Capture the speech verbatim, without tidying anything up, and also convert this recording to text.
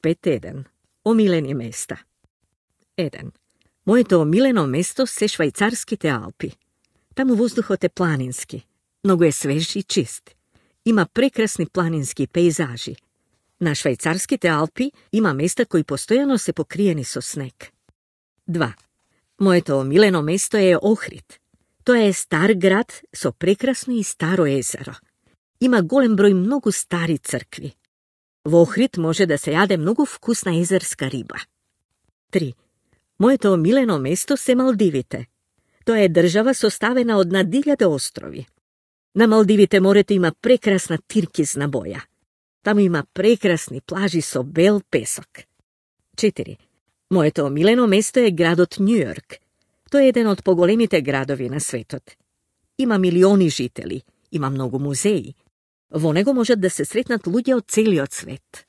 пет еден. Омилени места. еден. Моето омилено место се Швајцарските Алпи. Таму воздухот е планински. Многу е свеж и чист. Има прекрасни планински пейзажи. На Швајцарските Алпи има места кои постојано се покриени со снег. два. Моето омилено место е Охрид. Тоа е стар град со прекрасно и старо езеро. Има голем број многу стари цркви. Во Охрид може да се јаде многу вкусна езерска риба. три. Моето омилено место се Малдивите. Тоа е држава составена од над илјада острови. На Малдивите морето има прекрасна тиркизна боја. Таму има прекрасни плажи со бел песок. четири. Моето омилено место е градот Њујорк. Тој е еден од поголемите градови на светот. Има милиони жители, има многу музеи. Во него можат да се сретнат луѓе од целиот свет.